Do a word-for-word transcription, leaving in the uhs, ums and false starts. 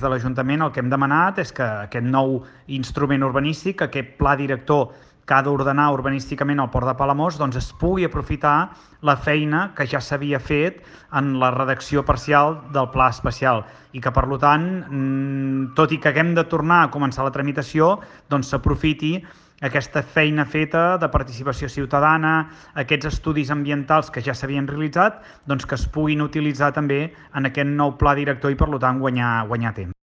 de l'Ajuntament el que hem demanat és que aquest nou instrument urbanístic, aquest pla director que ha d'ordenar urbanísticament el Port de Palamós, doncs es pugui aprofitar la feina que ja s'havia fet en la redacció parcial del pla especial i que, per tant, tot i que haguem de tornar a començar la tramitació, doncs s'aprofiti aquesta feina feta de participació ciutadana, aquests estudis ambientals que ja s'havien realitzat, doncs que es puguin utilitzar també en aquest nou pla director i, per tant, guanyar, guanyar temps.